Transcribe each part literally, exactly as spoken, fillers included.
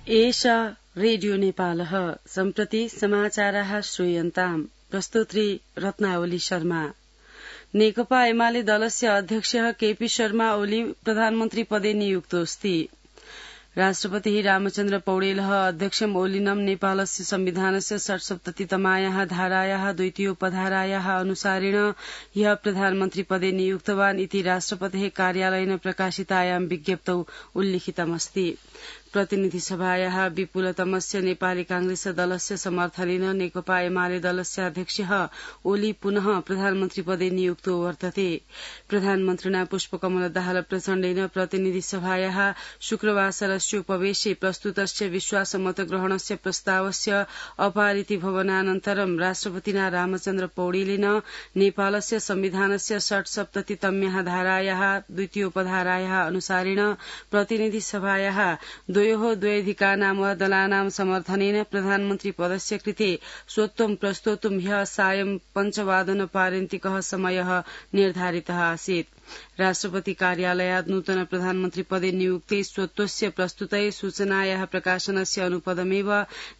एषा रेडियो नेपालः सम्प्रति समाचाराः श्रूयन्ताम् प्रस्तुत्री रत्नावली शर्मा। नेकपा एमाले दलस्य अध्यक्षः केपी शर्मा ओली प्रधानमन्त्री पदे नियुक्तोऽस्ति। राष्ट्रपतिः रामचन्द्र पौडेलः अध्यक्षम् ओलिनं नेपालस्य संविधानस्य षट्सप्ततितमायाः धारायाः द्वितीयोपधारायाः अनुसारेण ह्यः प्रधानमन्त्री पदे नियुक्तवान् इति राष्ट्रपतेः कार्यालयेन प्रकाशितायां विज्ञप्तौ उल्लिखितमस्ति। प्रतिनिधिसभायाः विपुलतमस्य नेपाली कांग्रेस दलस्य समर्थनेन नेकपा एमाले दलस्य अध्यक्षः ओली पुनः प्रधानमन्त्री पदे नियुक्तो वर्तते। प्रधानमन्त्रिणा पुष्पकमल दाहाल प्रचण्डेन प्रतिनिधिसभायाः शुक्रवासरस्योपवेशे प्रस्तुतस्य विश्वासमतग्रहणस्य प्रस्तावस्य अपारिति भवनानन्तरं राष्ट्रपतिना रामचन्द्र पौडेलेन नेपालस्य संविधानस्य षट्सप्ततितम्याः धारायाः द्वितीयोपधारायाः अनुसारेण प्रतिनिधिसभायाः द्वयोः द्वैधिकानां वा दलानां समर्थनेन प्रधानमन्त्री पदस्य कृते स्वत्वं प्रस्तोतुं ह्यः सायं पञ्चवादनपर्यन्तिकः समयः निर्धारितः आसीत्। राष्ट्रपति कार्यालयात् नूतन प्रधानमन्त्री पदे नियुक्ते स्वत्वस्य प्रस्तुतये सूचनायाः प्रकाशनस्य अनुपदमेव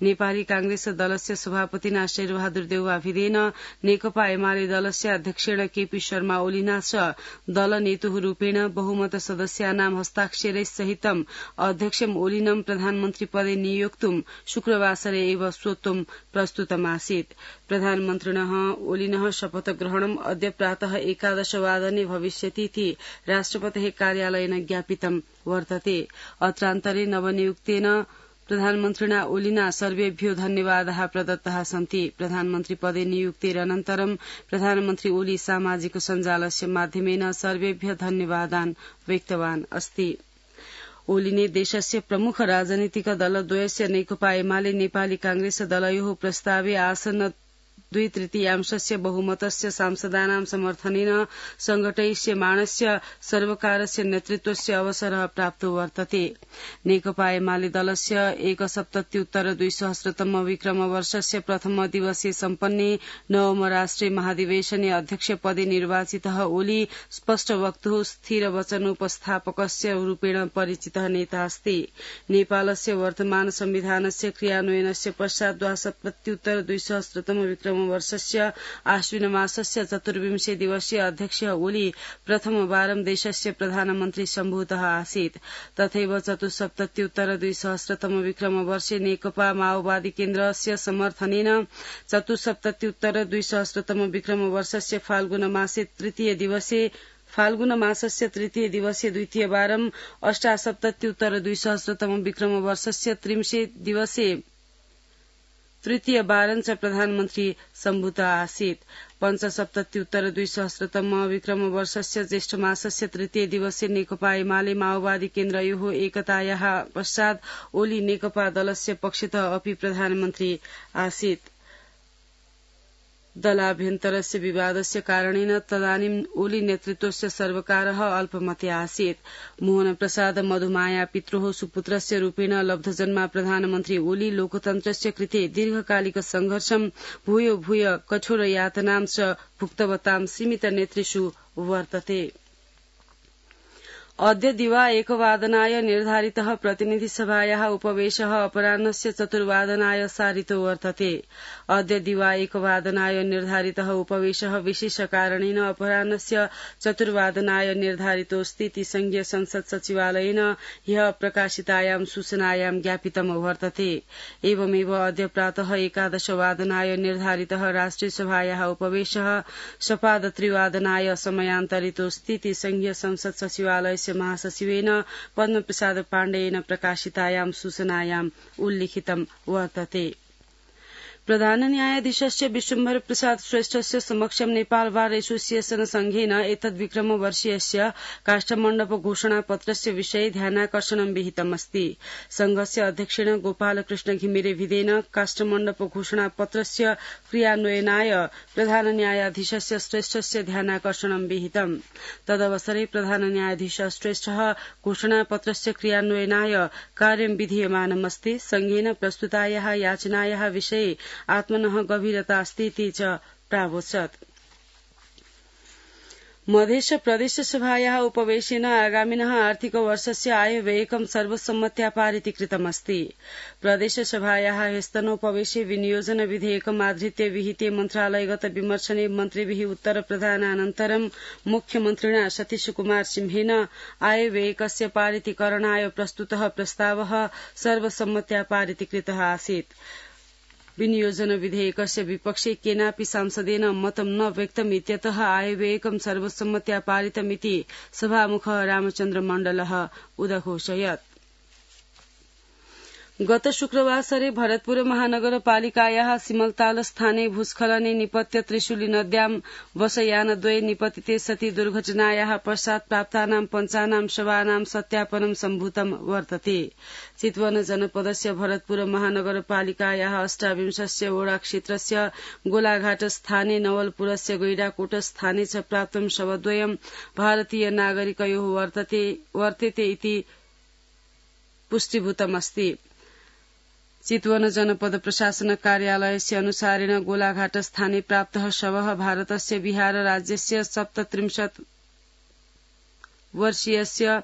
नेपाली कांग्रेस दलस्य सभापतिना शेरबहादुर देउवाभिदेन नेकपा एमाले दलस्य अध्यक्षेण केपी शर्मा ओलिना च दलनेतुः रूपेण बहुमत सदस्यानां हस्ताक्षरैस्सहितं अध्यक्षम् ओलिनं प्रधानमन्त्री पदे नियोक्तुं शुक्रवासरे एव स्वत्वं प्रस्तुतमासीत्। प्रधानमन्त्रिणः ओलिनः शपथग्रहणम् अद्य प्रातः एकादशवादने भविष्यति इति राष्ट्रपतेः कार्यालयेन ज्ञापितं वर्तते। अत्रान्तरे नवनियुक्तेन प्रधानमन्त्रिणा ओलिना सर्वेभ्यो धन्यवादाः प्रदत्ताः सन्ति। प्रधानमन्त्री पदे नियुक्तेरनन्तरं प्रधानमन्त्री ओली सामाजिक सञ्जालस्य माध्यमेन सर्वेभ्यः धन्यवादान् व्यक्तवान् अस्ति। ओलीले देशस्य प्रमुख राजनीतिक दलद्वयस्य नेकपा एमाले नेपाली कांग्रेस दलयोः प्रस्तावे आसन्न द्वि तृतीयांशस्य बहुमतस्य सांसदानां समर्थनेन संघटयिष्यमाणस्य सर्वकारस्य नेतृत्वस्य अवसरः प्राप्तो वर्तते। नेकपा एमाले दलस्य एकसप्तत्युत्तर द्विसहस्रतम विक्रमवर्षस्य प्रथम दिवसे सम्पन्ने नवम राष्ट्रिय महाधिवेशने अध्यक्ष पदे निर्वाचितः ओली स्पष्ट वक्तुः स्थिर वचनोपस्थापकस्य रूपेण परिचितः नेता अस्ति। नेपालस्य वर्तमान संविधानस्य क्रियान्वयनस्य पश्चात् द्वासप्तत्युत्तर द्विसहस्रतम विक्रम वर्षस्य आश्विन मासस्य चतुर्विंशे दिवसीय अध्यक्ष ओली प्रथमवारं देशस्य प्रधानमन्त्री सम्भूतः आसीत्। तथैव चतुस्सप्तत्युत्तर द्विसहस्रतम विक्रम वर्षे नेकपा माओवादी केन्द्रस्य समर्थनेन चतुस्सप्तत्युत्तर द्विसहस्रतम विक्रम वर्षस्य फाल्गुन मासे तृतीय दिवसे फाल्गुन मासस्य तृतीय दिवसे द्वितीयवारं अष्टासप्तत्युत्तर द्विसहस्रतम विक्रम वर्षस्य त्रिंशे दिवसे तृतीयवारं च प्रधानमन्त्री सम्भूतः आसीत्। पञ्चसप्तत्युत्तर द्विसहस्रतम विक्रम वर्षस्य ज्येष्ठ मासस्य तृतीय दिवसे नेकपा एमाले माओवादी केन्द्रयोः एकतायाः पश्चात् ओली नेकपा दलस्य पक्षतः अपि प्रधानमन्त्री आसीत्। दलाभ्यन्तरस्य विवादस्य कारणेन तदानीं ओली नेतृत्वस्य सर्वकारः अल्पमते आसीत्। मोहन प्रसाद मधुमाया पित्रोः सुपुत्रस्य रूपेण लब्धजन्मा प्रधानमन्त्री ओली लोकतन्त्रस्य कृते दीर्घकालिक संघर्षं भूयो भूय कठोर यातनां च भुक्तवतां सीमित नेतृषु वर्तते। अद्य दिवा एकवादनाय निर्धारितः प्रतिनिधिसभायाः उपवेशः अपराह्नस्य चतुर्वादनाय सारितो वर्तते। अद्य दिवा एकवादनाय निर्धारितः उपवेशः विशेषकारणेन अपराह्नस्य चतुर्वादनाय निर्धारितोऽस्ति इति संघीय संसद सचिवालयेन ह्यः प्रकाशितायां सूचनायां ज्ञापितं वर्तते। एवमेव अद्य प्रातः एकादशवादनाय निर्धारितः राष्ट्रियसभायाः उपवेशः सपादत्रिवादनाय समयान्तरितोऽस्ति इति संघीय संसद सचिवालय महासचिवेन पद्मप्रसाद पाण्डेयेन प्रकाशितायां सूचनायां उल्लिखितं वर्तते। प्रधान न्यायाधीशस्य विश्वम्भर प्रसाद श्रेष्ठस्य समक्षं नेपाल बार एसोसिएशन संघेन एतद्विक्रम वर्षीयस्य काष्ठमण्डप घोषणापत्रस्य विषये ध्यानाकर्षणं विहितमस्ति। संघस्य अध्यक्षेण गोपालकृष्ण घिमिरेभिदेन काष्ठमण्डप घोषणापत्रस्य क्रियान्वयनाय प्रधान न्यायाधीशस्य श्रेष्ठस्य ध्यानाकर्षणं विहितम्। तदवसरे प्रधान न्यायाधीश श्रेष्ठः घोषणापत्रस्य क्रियान्वयनाय कार्यं विधीयमानमस्ति। संघेन प्रस्तुतायाः याचनायाः विषये आत्मनः गभीरता अस्ति इति च प्रावोचत्। मधेश प्रदेश सभायाः उपवेशेन आगामिनः आर्थिक वर्षस्य आयव्ययकं सर्वसम्मत्या पारितीकृतमस्ति। प्रदेश सभायाः ह्यस्तनोपवेशे विनियोजन विधेयकम् आधृत्य विहिते मन्त्रालयगत विमर्शने मन्त्रिभिः उत्तर प्रदानानन्तरं मुख्यमन्त्रिणा सतीश कुमार सिंहेन आयव्ययकस्य पारितीकरणाय प्रस्तुतः प्रस्तावः सर्वसम्मत्या पारितीकृतः आसीत्। विनियोजन विधेयकस्य विपक्षे केनापि सांसदेन मतं न व्यक्तम् इत्यतः आयव्ययकं सर्वसम्मत्या पारितमिति सभामुखः रामचन्द्र मण्डलः उदघोषयत्। गत शुक्रवासरे भरतपुर महानगरपालिकायाः सिमलताल स्थाने भूस्खलने निपत्य त्रिशूली नद्यां बसयानद्वये निपतिते सति दुर्घटनायाः पश्चात् प्राप्तानां पञ्चानां शवानां सत्यापनं सम्भूतं वर्तते। चितवन जनपदस्य भरतपुर महानगरपालिकायाः अष्टाविंशस्य वडा क्षेत्रस्य गोलाघाट स्थाने नवलपुरस्य गैडाकोट स्थाने च प्राप्तं शवद्वयं भारतीय नागरिकयोः वर्तेते इति पुष्टीभूतमस्ति। चितवन जनपद प्रशासन कार्यालयस्य अनुसारेण गोलाघाट स्थाने प्राप्तः शवः भारतस्य बिहार राज्यस्य सप्तत्रिंशत् वर्षीयस्य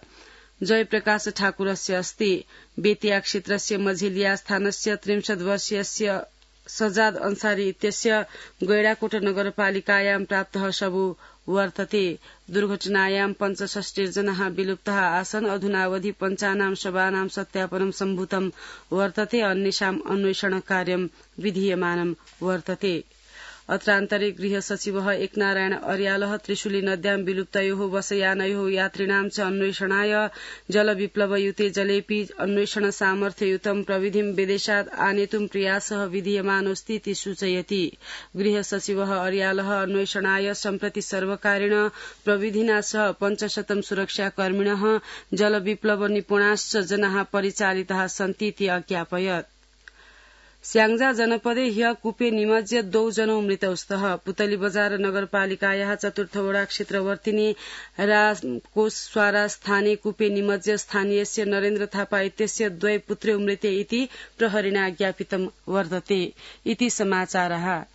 जयप्रकाश ठाकुरस्य अस्ति। बेतिया क्षेत्रस्य मझिलिया स्थानस्य त्रिंशत् वर्षीयस्य सजाद अंसारी इत्यस्य गैडाकोट नगरपालिकायां प्राप्तः शवो वर्तते। दुर्घटनायां पञ्चषष्टिर्जनाः विलुप्ताः आसन्। अधुनावधि पञ्चानां शवानां सत्यापनं सम्भूतं वर्तते। अन्येषाम् अन्वेषण कार्यं विधीयमानं वर्तते। अत्रान्तरे गृह सचिवः एकनारायण अर्यालः त्रिशूली नद्यां विलुप्तयोः वसयानयोः यात्रिणां च अन्वेषणाय जलविप्लवयुते जलेऽपि अन्वेषण सामर्थ्ययुतं प्रविधिं विदेशात् आनेतुं प्रयासः विधीयमानोऽस्ति इति सूचयति। गृह सचिवः अर्यालः अन्वेषणाय सम्प्रति सर्वकारेण प्रविधिना सह पञ्चशतं सुरक्षाकर्मिणः जलविप्लव निपुणाश्च जनाः परिचालिताः सन्ति इति अज्ञापयत्। स्याङ्जा जनपदे ह्य कूपे निमज्य द्वौ जनौ मृतौ स्तः। पुतली बजार नगरपालिकायाः चतुर्थ वडा क्षेत्रवर्तिनी रामकोसस्वारा स्थाने कूपे निमज्य स्थानीयस्य नरेन्द्र थापा इत्यस्य द्वय पुत्र्यौ मृते इति प्रहरिणा ज्ञापितं वर्तते। इति समाचारः।